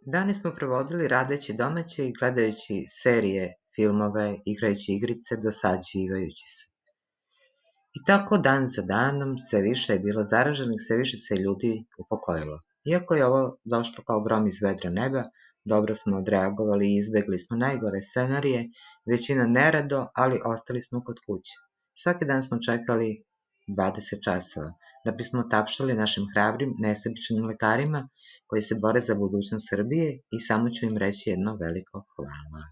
Dani smo provodili radeći domaće i gledajući serije, filmove, igrajući igrice, dosađivajući se. I tako dan za danom sve više je bilo zaraženih, sve više se ljudi upokojilo. Iako je ovo došlo kao grom iz vedra neba, dobro smo odreagovali i izbegli smo najgore scenarije, većina nerado, ali ostali smo kod kuće. Svaki dan smo čekali 20 časova, da bismo tapšali našim hrabrim, nesebičnim lekarima koji se bore za budućnost Srbije i samo ću im reći jedno veliko hvala.